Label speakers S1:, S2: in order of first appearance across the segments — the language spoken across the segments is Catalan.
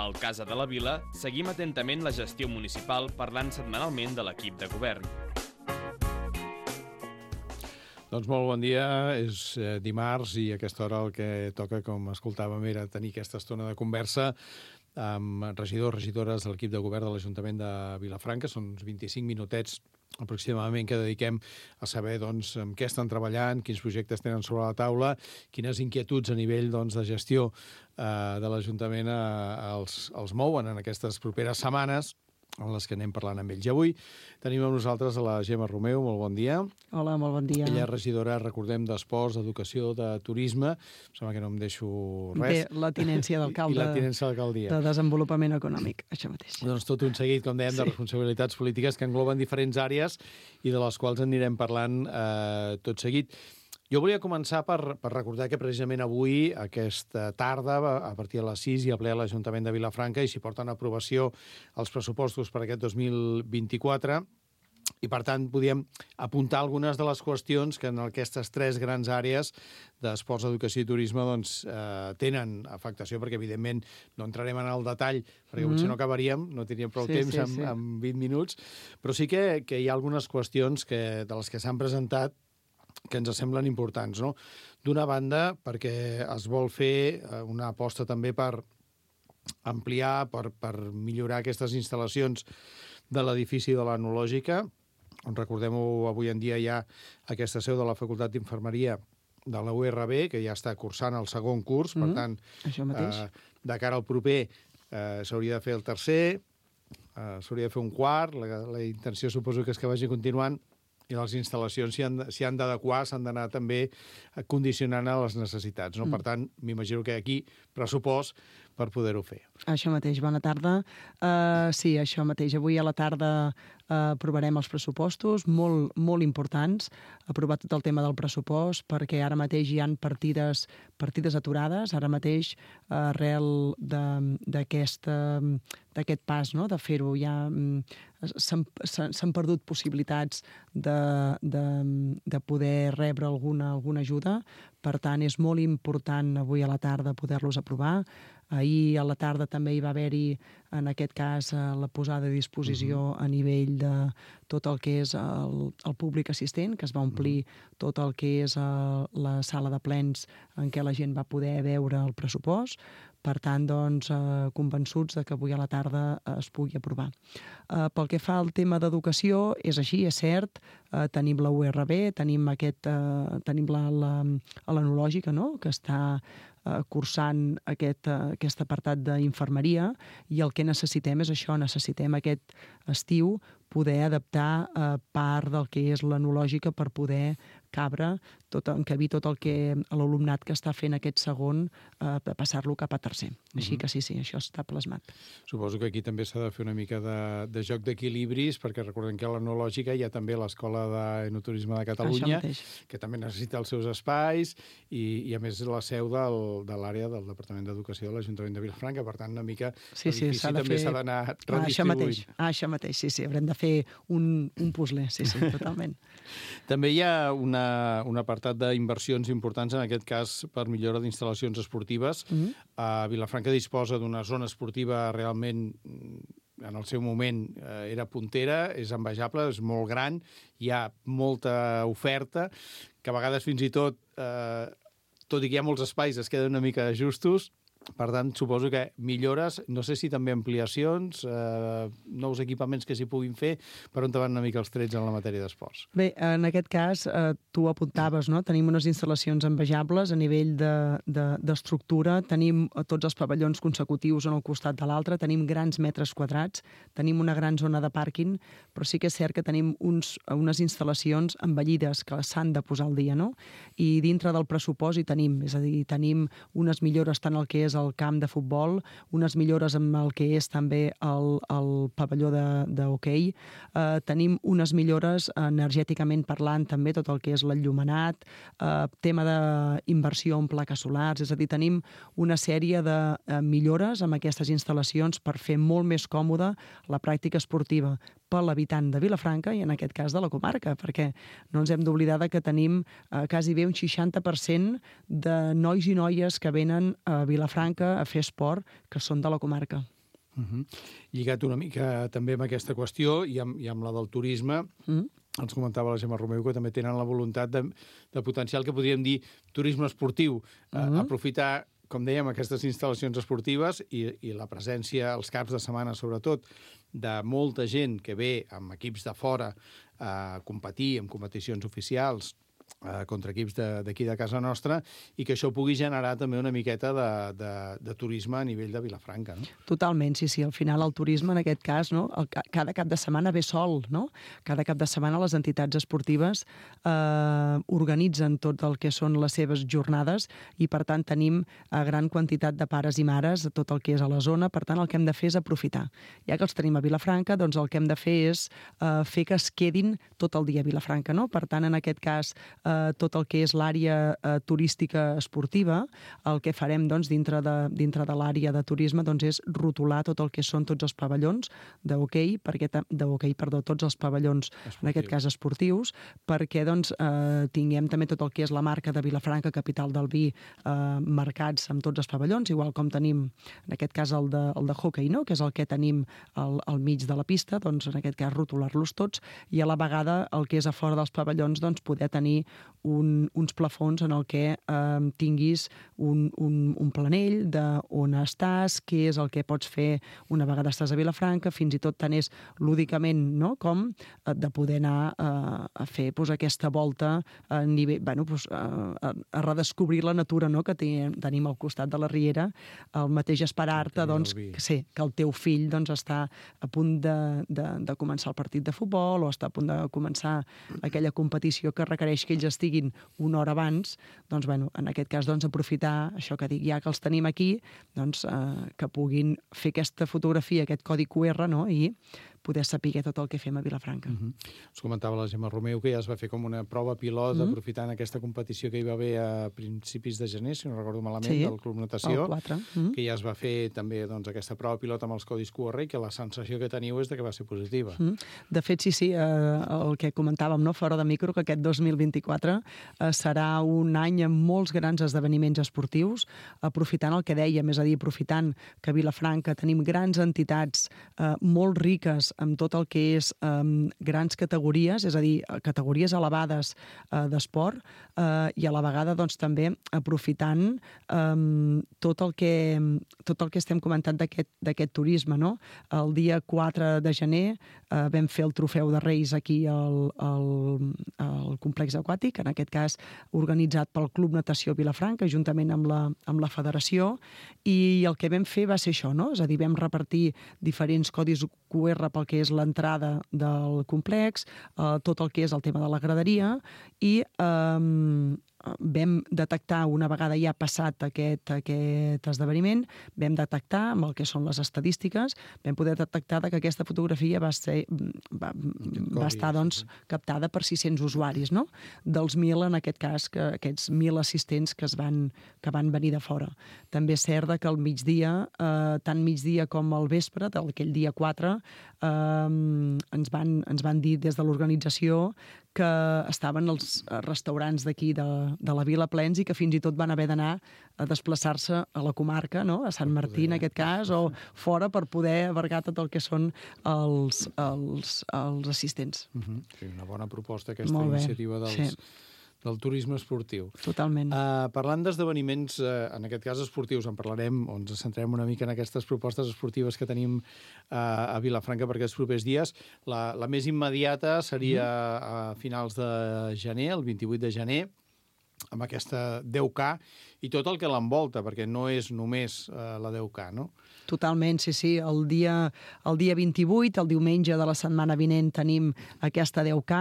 S1: Al Casa de la Vila seguim atentament la gestió municipal parlant setmanalment de l'equip de govern.
S2: Doncs molt bon dia, és dimarts i a aquesta hora el que toca, com escoltàvem, era tenir aquesta estona de conversa amb regidors, regidores de l'equip de govern de l'Ajuntament de Vilafranca. Són uns 25 minutets aproximadament que dediquem a saber doncs, amb què estan treballant, quins projectes tenen sobre la taula, quines inquietuds a nivell doncs, de gestió de l'Ajuntament els mouen en aquestes properes setmanes, en les que anem parlant amb ells. I avui tenim amb nosaltres a la Gemma Romeu. Molt bon dia.
S3: Hola, molt bon dia.
S2: Ella és regidora, recordem, d'Esports, d'Educació, de Turisme. Em sembla que no em deixo res.
S3: Té la tinència d'alcalde.
S2: I la tinència d'alcaldia.
S3: De Desenvolupament Econòmic, això mateix.
S2: Doncs tot un seguit, com dèiem, de responsabilitats polítiques que engloben diferents àrees i de les quals anirem parlant tot seguit. Jo volia començar per recordar que precisament avui, aquesta tarda, a partir de les 6, hi ha ple a l'Ajuntament de Vilafranca i s'hi porten a aprovació els pressupostos per aquest 2024 i, per tant, podíem apuntar algunes de les qüestions que en aquestes tres grans àrees d'esports, educació i turisme doncs, tenen afectació, perquè, evidentment, no entrarem en el detall, perquè potser no acabaríem, no tindríem prou temps en 20 minuts, però sí que hi ha algunes qüestions de les que s'han presentat que ens semblen importants, no? D'una banda, perquè es vol fer una aposta també per ampliar, per millorar aquestes instal·lacions de l'edifici de l'Etnològica, on, recordem-ho, avui en dia hi ha aquesta seu de la Facultat d'Infermeria de la URB, que ja està cursant el segon curs, per tant, de cara al proper s'hauria de fer el tercer, s'hauria de fer un quart, la intenció suposo que és que vagi continuant, i les instal·lacions s'hi han d'adequar, s'han d'anar també condicionant a les necessitats, no? Per tant, m'imagino que aquí pressupost per poder-ho fer.
S3: Això mateix, bona tarda. Sí, això mateix. Avui a la tarda aprovarem els pressupostos, molt importants, aprovar tot el tema del pressupost, perquè ara mateix hi ha partides aturades, ara mateix arrel d'aquest pas, no?, de fer-ho. Ja s'han perdut possibilitats de poder rebre alguna ajuda, per tant, és molt important avui a la tarda poder-los aprovar. Ahir a la tarda també hi va haver-hi, en aquest cas, la posada a disposició a nivell de tot el que és el públic assistent, que es va omplir tot el que és la sala de plens en què la gent va poder veure el pressupost. Per tant, doncs, convençuts de que avui a la tarda es pugui aprovar. Pel que fa al tema d'educació, és així, és cert, tenim la URB, tenim l'Etnològica, no?, que està cursant aquest apartat d'infermeria, i el que necessitem és això, necessitem aquest estiu poder adaptar part del que és l'Etnològica per poder encabir tot el que l'alumnat que està fent aquest segon, passar-lo cap a tercer. Així que sí, això està plasmat.
S2: Suposo que aquí també s'ha de fer una mica de joc d'equilibris, perquè recordem que a l'Etnològica hi ha també l'Escola d'Enoturisme de Catalunya, que també necessita els seus espais, i a més la seu de l'àrea del Departament d'Educació de l'Ajuntament de Vilafranca. Per tant, una mica l'edifici també s'ha d'anar redistribuint.
S3: Això mateix, sí, haurem de fer un puzzle, sí, totalment.
S2: També hi ha un apartat d'inversions importants, en aquest cas per millora d'instal·lacions esportives. Vilafranca disposa d'una zona esportiva realment, en el seu moment era puntera, és envejable, és molt gran, hi ha molta oferta, que a vegades fins i tot i que hi ha molts espais, es queden una mica justos. Per tant, suposo que millores, no sé si també ampliacions, nous equipaments que s'hi puguin fer, per on van una mica els trets en la matèria d'esports.
S3: Bé, en aquest cas, tu apuntaves, no? Tenim unes instal·lacions envejables a nivell d'estructura, tenim tots els pavellons consecutius un al costat de l'altre, tenim grans metres quadrats, tenim una gran zona de pàrquing, però sí que és cert que tenim unes instal·lacions envellides que s'han de posar al dia, no? I dintre del pressupost hi tenim, és a dir, tenim unes millores tant el que és el camp de futbol, unes millores amb el que és també el pavelló d'hoquei. Tenim unes millores energèticament parlant també, tot el que és l'enllumenat, tema d'inversió en plaques solars, és a dir, tenim una sèrie de millores amb aquestes instal·lacions per fer molt més còmoda la pràctica esportiva per l'habitant de Vilafranca i en aquest cas de la comarca, perquè no ens hem d'oblidar que tenim quasi bé un 60% de nois i noies que venen a Vilafranca a fer esport que són de la comarca.
S2: Lligat una mica també amb aquesta qüestió i amb la del turisme, ens comentava la Gemma Romeu que també tenen la voluntat de potenciar el que podríem dir turisme esportiu, aprofitar, com dèiem, aquestes instal·lacions esportives i la presència als caps de setmana, sobretot, de molta gent que ve amb equips de fora a competir en competicions oficials contra equips d'aquí de casa nostra, i que això pugui generar també una miqueta de turisme a nivell de Vilafranca, no?
S3: Totalment, sí. Al final el turisme, en aquest cas, no? Cada cap de setmana ve sol, no? Cada cap de setmana les entitats esportives organitzen tot el que són les seves jornades i, per tant, tenim gran quantitat de pares i mares, tot el que és a la zona. Per tant, el que hem de fer és aprofitar. Ja que els tenim a Vilafranca, doncs el que hem de fer és fer que es quedin tot el dia a Vilafranca, no? Per tant, en aquest cas, tot el que és l'àrea turística esportiva, el que farem doncs, dintre de l'àrea de turisme doncs, és rotular tot el que són tots els pavellons d'hoquei, tots els pavellons, en aquest cas esportius, perquè doncs, tinguem també tot el que és la marca de Vilafranca, capital del vi, marcats amb tots els pavellons, igual com tenim, en aquest cas, el de hoquei, no? Que és el que tenim al mig de la pista, doncs, en aquest cas, rotular-los tots, i a la vegada el que és a fora dels pavellons, doncs, poder tenir uns plafons en el que tinguis un planell d'on estàs, què és el que pots fer una vegada estàs a Vilafranca, fins i tot tant és lúdicament, no? Com de poder anar a fer aquesta volta a nivell, a redescobrir la natura, no? Que tenim al costat de la riera, el mateix esperar-te doncs, que el teu fill doncs, està a punt de començar el partit de futbol o està a punt de començar aquella competició que requereix que ells estiguin una hora abans, doncs, en aquest cas, doncs, aprofitar això que dic, ja que els tenim aquí, doncs, que puguin fer aquesta fotografia, aquest codi QR, no? I poder saber tot el que fem a Vilafranca.
S2: Us comentava la Gemma Romeu que ja es va fer com una prova pilot aprofitant aquesta competició que hi va haver a principis de gener, si no recordo malament, del Club Natació,
S3: el 4.
S2: Que ja es va fer també doncs, aquesta prova pilot amb els codis QR i que la sensació que teniu és que va ser positiva.
S3: De fet, sí, el que comentàvem, no, fora de micro, que aquest 2024 serà un any amb molts grans esdeveniments esportius, aprofitant el que dèiem, és a dir, aprofitant que a Vilafranca tenim grans entitats molt riques amb tot el que és grans categories, és a dir, categories elevades d'esport, i a la vegada doncs, també aprofitant tot el que estem comentant d'aquest turisme. No? El dia 4 de gener vam fer el Trofeu de Reis aquí al complex aquàtic, en aquest cas organitzat pel Club Natació Vilafranca, juntament amb la federació, i el que vam fer va ser això, no? És a dir, vam repartir diferents codis QR pel que és l'entrada del complex, tot el que és el tema de la graderia, i vam detectar, una vegada ja passat aquest esdeveniment, vam detectar amb el que són les estadístiques, vam poder detectar que aquesta fotografia va estar doncs, captada per 600 usuaris, no? Dels 1.000, en aquest cas, aquests 1.000 assistents que van venir de fora. També és cert que al migdia, tant migdia com al vespre, d'aquell dia 4, ens van dir des de l'organització que estaven els restaurants d'aquí de la Vila plens i que fins i tot van haver d'anar a desplaçar-se a la comarca, no? A Sant Martí, en aquest cas, o fora per poder abarcar tot el que són els assistents.
S2: Sí, una bona proposta, aquesta iniciativa del turisme esportiu.
S3: Totalment.
S2: Parlant d'esdeveniments, en aquest cas esportius, en parlarem, o ens centrem una mica en aquestes propostes esportives que tenim a Vilafranca per aquests propers dies. La més immediata seria a finals de gener, el 28 de gener, amb aquesta 10K i tot el que l'envolta, perquè no és només la 10K, no?
S3: Totalment, sí. El dia 28, el diumenge de la setmana vinent, tenim aquesta 10K.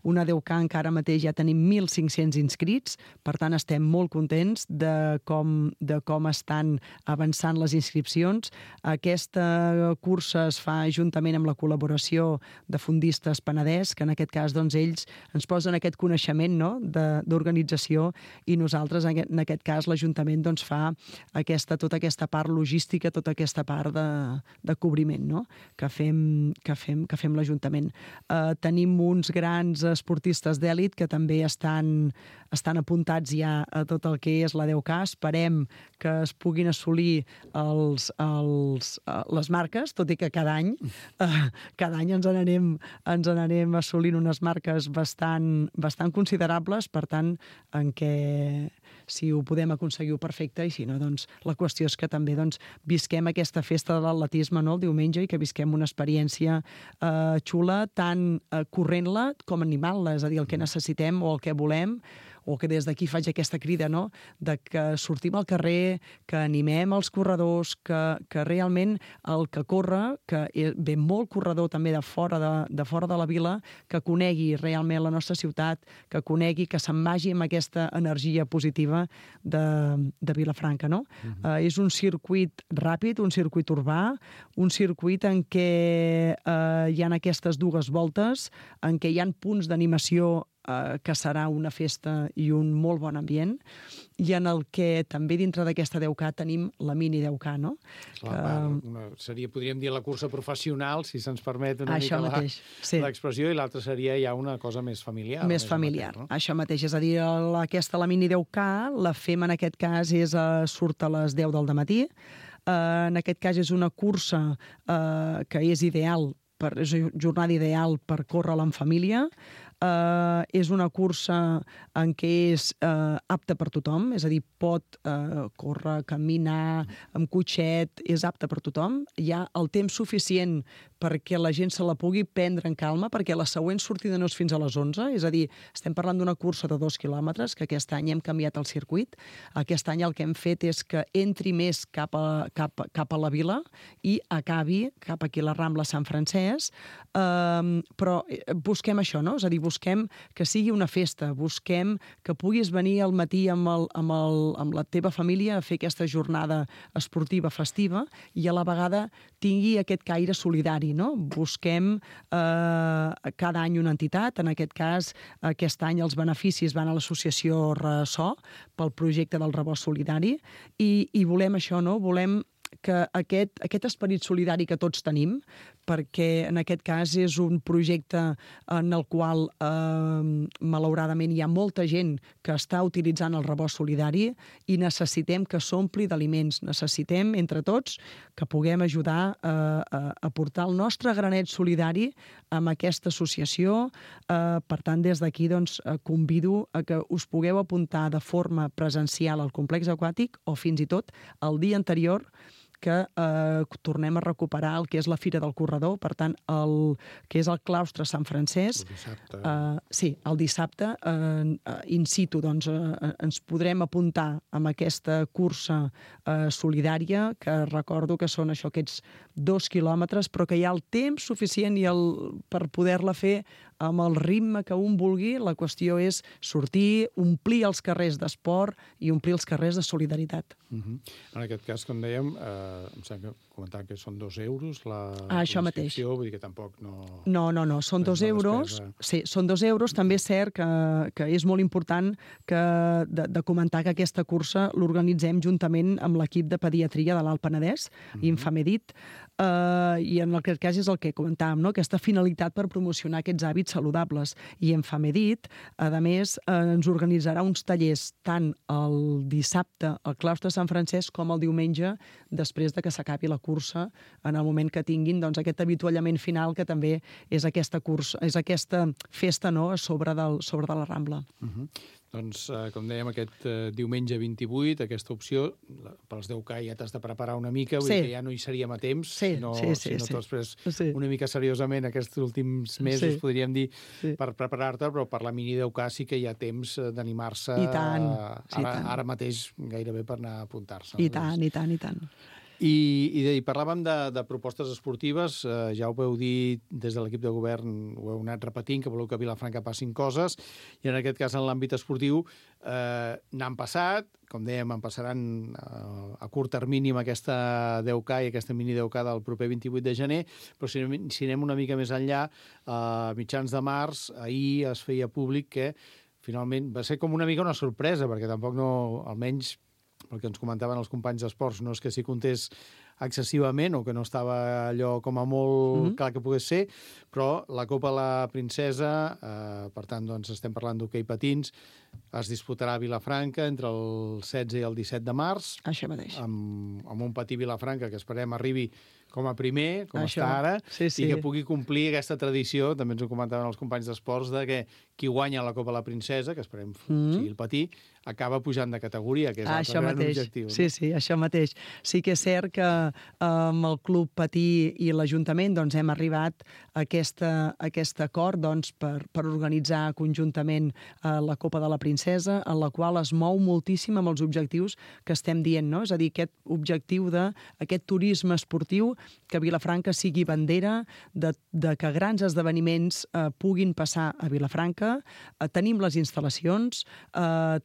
S3: Una 10K encara mateix ja tenim 1.500 inscrits, per tant estem molt contents de com estan avançant les inscripcions. Aquesta cursa es fa juntament amb la col·laboració de Fondistes Penedès, que en aquest cas doncs, ells ens posen aquest coneixement, no?, d'organització, i nosaltres en aquest cas cas l'Ajuntament doncs, fa tota aquesta part logística, tota aquesta part de cobriment, no? que fem l'Ajuntament. Tenim uns grans esportistes d'èlit que també estan apuntats ja a tot el que és la 10K. Esperem que es puguin assolir les marques, tot i que cada any ens n'anem assolint unes marques bastant considerables, per tant, en què si ho podem aconseguir perfecte, i si no, doncs la qüestió és que també visquem aquesta festa de l'atletisme, no?, el diumenge, i que visquem una experiència xula, tant corrent-la com animant-la, és a dir, el que necessitem o el que volem, o que des d'aquí faig aquesta crida, no?, de que sortim al carrer, que animem els corredors, que realment el que corre, que ve molt corredor també de fora de la vila, que conegui realment la nostra ciutat, que conegui, que se'n vagi amb aquesta energia positiva de Vilafranca, no? És un circuit ràpid, un circuit urbà, un circuit en què hi ha aquestes dues voltes, en què hi ha punts d'animació que serà una festa i un molt bon ambient, i en el que també dintre d'aquesta 10K tenim la mini 10K, no?
S2: Podríem dir la cursa professional, si se'ns permet una
S3: mica
S2: l'expressió, i l'altra seria ja una cosa més familiar.
S3: Més familiar, no? Això mateix, és a dir, la mini 10K, la fem en aquest cas, surt a les 10 del matí. En aquest cas és una cursa que és ideal, és una jornada ideal per córrer-la en família. És una cursa en què és apta per tothom, és a dir, pot córrer, caminar, amb cotxet, és apta per tothom. Hi ha el temps suficient perquè la gent se la pugui prendre en calma, perquè la següent sortida no és fins a les 11, és a dir, estem parlant d'una cursa de 2 quilòmetres, que aquest any hem canviat el circuit. Aquest any el que hem fet és que entri més cap a la vila i acabi cap aquí a la Rambla Sant Francesc, però busquem això, no? És a dir, busquem que sigui una festa, busquem que puguis venir al matí amb la teva família a fer aquesta jornada esportiva festiva i a la vegada tingui aquest caire solidari, no? Busquem cada any una entitat, en aquest cas, aquest any els beneficis van a l'associació Ressò pel projecte del rebost solidari i volem això, no? Volem que aquest esperit solidari que tots tenim, perquè en aquest cas és un projecte en el qual malauradament hi ha molta gent que està utilitzant el rebost solidari i necessitem que s'ompli d'aliments. Necessitem, entre tots, que puguem ajudar a portar el nostre granet solidari amb aquesta associació. Per tant, des d'aquí convido a que us pugueu apuntar de forma presencial al complex aquàtic o fins i tot el dia anterior que tornem a recuperar el que és la Fira del Corredor, per tant, el que és el claustre Sant Francesc.
S2: El dissabte.
S3: Sí, el dissabte, in situ, ens podrem apuntar amb aquesta cursa solidària, que recordo que són aquests 2 quilòmetres, però que hi ha el temps suficient per poder-la fer amb el ritme que un vulgui. La qüestió és sortir, omplir els carrers d'esport i omplir els carrers de solidaritat.
S2: En aquest cas, com dèiem, em sembla que comentar que són 2 euros
S3: això mateix.
S2: Vull dir que tampoc no...
S3: No, són 2 euros. Sí, són 2 euros. També és cert que és molt important de comentar que aquesta cursa l'organitzem juntament amb l'equip de pediatria de l'Alt Penedès, Infamedit, i en aquest cas és el que comentàvem, no? Aquesta finalitat per promocionar aquests hàbits saludables. I Infamedit, a més, ens organitzarà uns tallers tant el dissabte al claustre Sant Francesc com el diumenge, després de que s'acabi la cursa, en el moment que tinguin aquest avituallament final, que també és aquesta cursa, és aquesta festa, no?, a sobre de la Rambla.
S2: Doncs, com dèiem, aquest diumenge 28, aquesta opció, pels 10K ja t'has de preparar una mica, vull dir que ja no hi seríem a temps, sinó després una mica seriosament aquests últims mesos, podríem dir, per preparar-te, però per la mini 10K sí que hi ha temps d'animar-se ara mateix gairebé per anar a apuntar-se.
S3: I tant.
S2: I parlàvem de propostes esportives, ja ho veu dir des de l'equip de govern, ho heu anat repetint, que voleu que a Vilafranca passin coses, i en aquest cas en l'àmbit esportiu n'han passat, com dèiem, en passaran a curt termini amb aquesta 10K i aquesta mini 10K del proper 28 de gener, però si anem una mica més enllà, a mitjans de març, ahir es feia públic que finalment va ser com una mica una sorpresa, perquè tampoc no, almenys pel que ens comentaven els companys d'esports, no és que s'hi comptés excessivament o que no estava allò com a molt clar que pogués ser, però la Copa la Princesa, per tant, doncs estem parlant d'hoquei patins, es disputarà a Vilafranca entre el 16 i el 17 de març.
S3: Això mateix.
S2: Amb un Patí Vilafranca que esperem arribi com a primer, com
S3: Això.
S2: està ara,
S3: Sí.
S2: i que pugui complir aquesta tradició, també ens ho comentaven els companys d'esports, de que qui guanya la Copa la Princesa, que esperem sigui el Patí, acaba pujant de categoria, que és l'altre gran objectiu.
S3: Sí, sí, això mateix. Sí que és cert que amb el Club Patí i l'Ajuntament doncs, hem arribat a aquest acord doncs, per organitzar conjuntament la Copa de la Princesa, en la qual es mou moltíssim amb els objectius que estem dient, no? És a dir, aquest objectiu d'aquest turisme esportiu, que Vilafranca sigui bandera, de que grans esdeveniments puguin passar a Vilafranca. Tenim les instal·lacions,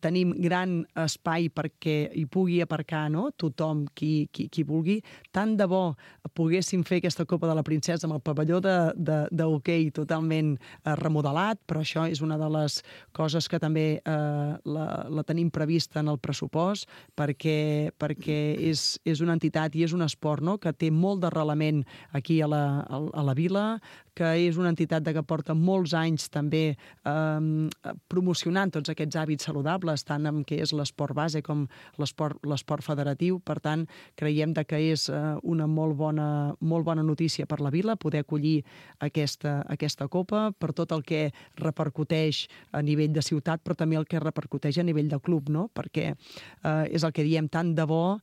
S3: tenim gran espai perquè hi pugui aparcar, no? Tothom qui vulgui. Tant de bo poguéssim fer aquesta Copa de la Princesa amb el pavelló d'hoquei totalment remodelat, però això és una de les coses que també la tenim prevista en el pressupost, perquè és una entitat i és un esport, no?, que té molt d'arrelament aquí a la vila, que és una entitat que porta molts anys també promocionant tots aquests hàbits saludables, tant en què és l'esport base com l'esport federatiu. Per tant, creiem que és una molt bona notícia per la vila poder acollir aquesta Copa, per tot el que repercuteix a nivell de ciutat, però també el que repercuteix a nivell de club, no? Perquè és el que diem, tant de bo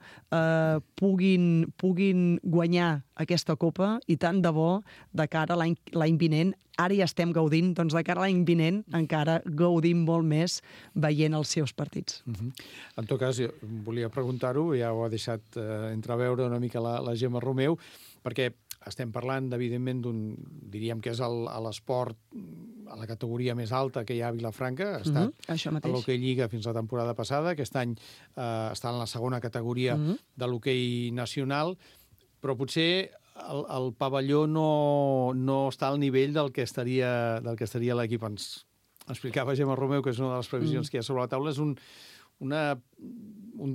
S3: puguin guanyar aquesta Copa i tant de bo de cara a l'any vinent. Ara ja estem gaudint, doncs de cara a l'any vinent encara gaudim molt més veient els seus partits.
S2: En tot cas, jo volia preguntar-ho, ja ho ha deixat entreveure una mica la Gemma Romeu, perquè estem parlant, evidentment, diríem que és l'esport a la categoria més alta que hi ha a Vilafranca. Ha estat a l'hoquei Lliga fins la temporada passada. Aquest any està en la segona categoria de l'hoquei nacional, però potser el pavelló no està al nivell del que estaria l'equip. Ens explicava Gemma Romeu, que és una de les previsions que hi ha sobre la taula, és un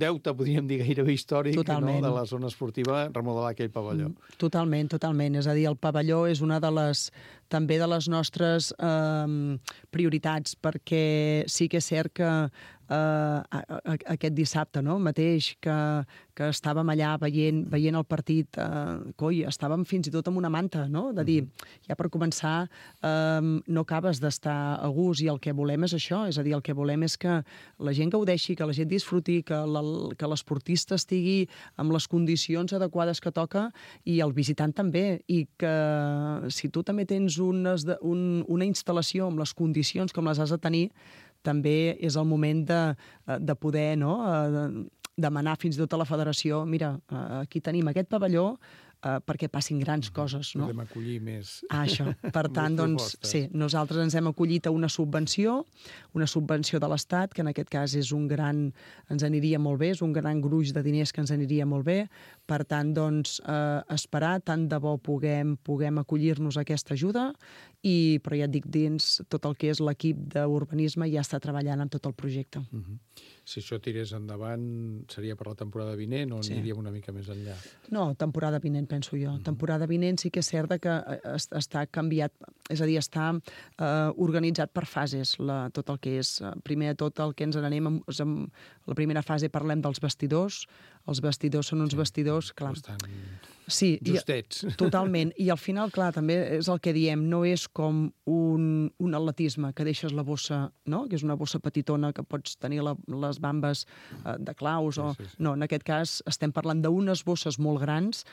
S2: deute, podríem dir, gairebé històric, no?, de la zona esportiva, remodelar aquell pavelló.
S3: Totalment. És a dir, el pavelló és una també de les nostres prioritats, perquè sí que és cert que aquest dissabte, no?, mateix, que estàvem allà veient el partit, estàvem fins i tot amb una manta, no?, de dir, ja per començar, no acabes d'estar a gust, i el que volem és això, és a dir, el que volem és que la gent gaudeixi, que la gent disfruti, que l'esportista estigui amb les condicions adequades que toca, i el visitant també, i que si tu també tens una instal·lació amb les condicions com les has de tenir, també és el moment de poder, no?, demanar fins i tot a la federació, mira, aquí tenim aquest pavelló perquè passin grans coses, no?
S2: Podem acollir més.
S3: Això. Per tant, doncs, sí, nosaltres ens hem acollit a una subvenció de l'Estat, que en aquest cas ens aniria molt bé, és un gran gruix de diners que ens aniria molt bé. Per tant, doncs, esperar, tant de bo puguem acollir-nos a aquesta ajuda, però ja et dic, dins tot el que és l'equip d'urbanisme ja està treballant en tot el projecte.
S2: Si això tirés endavant, seria per la temporada vinent o aniríem una mica més enllà?
S3: No, temporada vinent, penso jo. Temporada vinent sí que és cert que està canviat, és a dir, està organitzat per fases, tot el que és. Primer de tot, el que ens n'anem, la primera fase parlem dels vestidors. Els vestidors són uns vestidors, clar.
S2: Bastant
S3: justets. Totalment. I al final, clar, també és el que diem, no és com un atletisme, que deixes la bossa, no?, que és una bossa petitona que pots tenir les bambes de claus. No, en aquest cas estem parlant d'unes bosses molt grans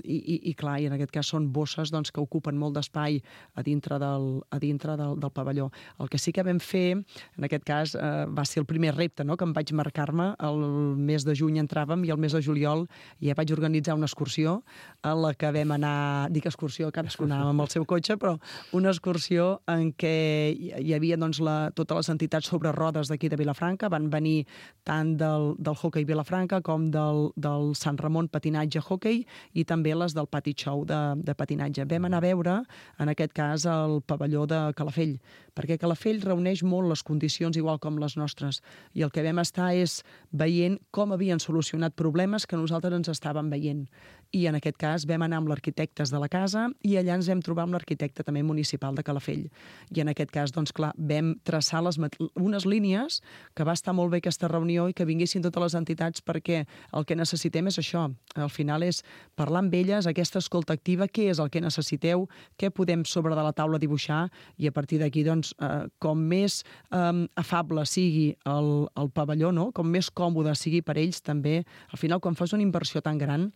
S3: i clar, i en aquest cas són bosses doncs, que ocupen molt d'espai a dintre del pavelló. El que sí que vam fer, en aquest cas, va ser el primer repte, no?, que em vaig marcar-me. El mes de juny entràvem i el mes de juliol ja vaig organitzar una excursió en la que vam anar, dic excursió, cadascú anàvem amb el seu cotxe, però una excursió en què hi havia doncs, totes les entitats sobre rodes d'aquí de Vilafranca. Van venir tant del hoquei Vilafranca com del Sant Ramon patinatge hoquei i també les del Pati Show de patinatge. Vam anar a veure, en aquest cas, el pavelló de Calafell, perquè Calafell reuneix molt les condicions igual com les nostres, i el que vam estar és veient com havien solucionat problemes que nosaltres ens estàvem veient. I en aquest cas vam anar amb l'arquitectes de la casa i allà ens vam trobar amb l'arquitecte també municipal de Calafell. I en aquest cas, doncs clar, vam traçar unes línies, que va estar molt bé aquesta reunió i que vinguessin totes les entitats, perquè el que necessitem és això. Al final és parlar amb elles, aquesta escolta activa, què és el que necessiteu, què podem sobre de la taula dibuixar, i a partir d'aquí, doncs, com més afable sigui el pavelló, no? Com més còmode sigui per ells, també, al final, quan fas una inversió tan gran,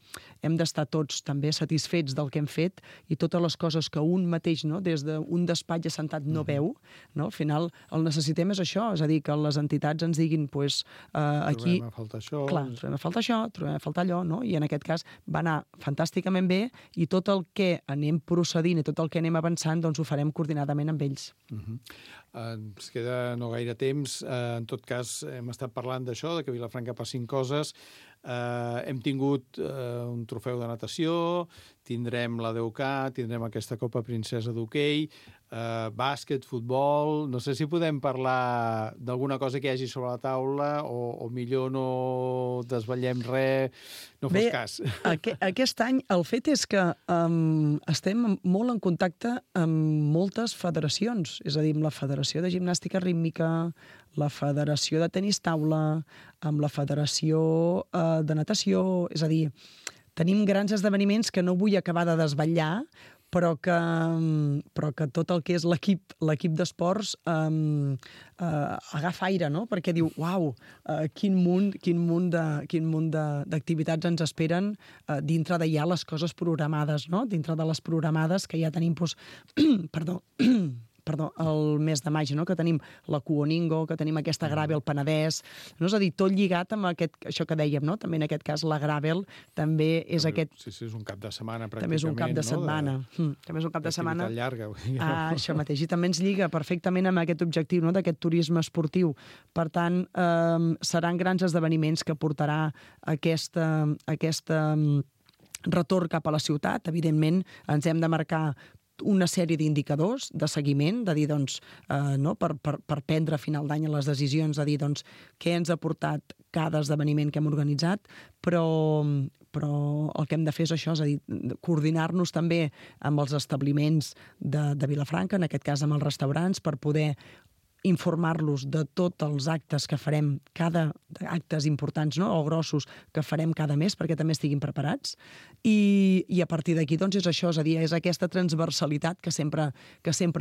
S3: hem d'estar tots també satisfets del que hem fet, i totes les coses que un mateix, no, des d'un despatx assentat no veu, no? Al final el necessitem és això, és a dir, que les entitats ens diguin, doncs, aquí...
S2: Trobem a faltar això...
S3: Clar, trobem a faltar això, trobem a faltar allò, no? I en aquest cas va anar fantàsticament bé, i tot el que anem procedint i tot el que anem avançant, doncs ho farem coordinadament amb ells.
S2: Ens queda no gaire temps. En tot cas, hem estat parlant d'això, de que a Vilafranca passin coses. Hem tingut un trofeu de natació, tindrem la DUK, tindrem aquesta Copa Princesa d'hoquei, bàsquet, futbol... No sé si podem parlar d'alguna cosa que hi hagi sobre la taula o millor no desvetllem res, no fos cas.
S3: Aquest any el fet és que estem molt en contacte amb moltes federacions, és a dir, amb la Federació de Gimnàstica Rítmica, la Federació de Tenis Taula, amb la Federació de Natació, és a dir, tenim grans esdeveniments que no vull acabar de desvetllar, però que tot el que és l'equip d'esports agafa aire, no? Perquè diu, uau, quin munt d'activitats ens esperen dintre de ja les coses programades, no? Dintre de les programades que ja tenim, el mes de maig, no? Que tenim la Cuoningo, que tenim aquesta Gravel Penedès, no? És a dir, tot lligat amb això que dèiem, no? També en aquest cas la Gravel també és aquest...
S2: Sí, és un cap de setmana, pràcticament.
S3: També és un cap de setmana. També és un cap de setmana.
S2: Llarga.
S3: Això mateix. I també ens lliga perfectament amb aquest objectiu, no? D'aquest turisme esportiu. Per tant, seran grans esdeveniments que portarà aquesta retorn cap a la ciutat. Evidentment, ens hem de marcar una sèrie d'indicadors de seguiment, de dir, doncs, no, per prendre a final d'any les decisions, de dir, doncs, què ens ha portat cada esdeveniment que hem organitzat, però el que hem de fer és això, és a dir, coordinar-nos també amb els establiments de Vilafranca, en aquest cas amb els restaurants, per poder informar-los de tots els actes que farem, actes importants, no? O grossos que farem cada mes perquè també estiguin preparats, i a partir d'aquí doncs és això, és a dir, és aquesta transversalitat que sempre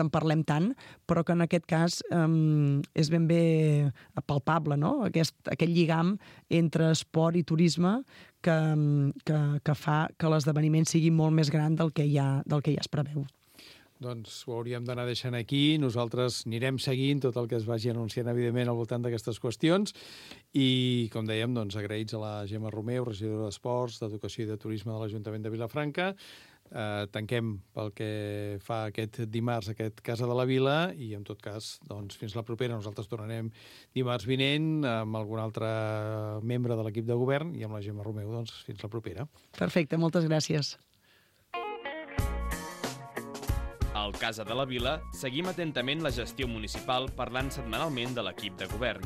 S3: en parlem tant, però que en aquest cas és ben bé palpable, no? Aquest lligam entre esport i turisme que fa que l'esdeveniment sigui molt més gran del que ja es preveu.
S2: Doncs ho hauríem d'anar deixant aquí. Nosaltres anirem seguint tot el que es vagi anunciant, evidentment, al voltant d'aquestes qüestions. I, com dèiem, doncs, agraïts a la Gemma Romeu, regidora d'Esports, d'Educació i de Turisme de l'Ajuntament de Vilafranca. Tanquem pel que fa aquest dimarts, aquest Casa de la Vila, i, en tot cas, doncs, fins la propera. Nosaltres tornarem dimarts vinent amb algun altre membre de l'equip de govern i amb la Gemma Romeu, doncs, fins la propera.
S3: Perfecte, moltes gràcies.
S1: Al Casa de la Vila seguim atentament la gestió municipal parlant setmanalment de l'equip de govern.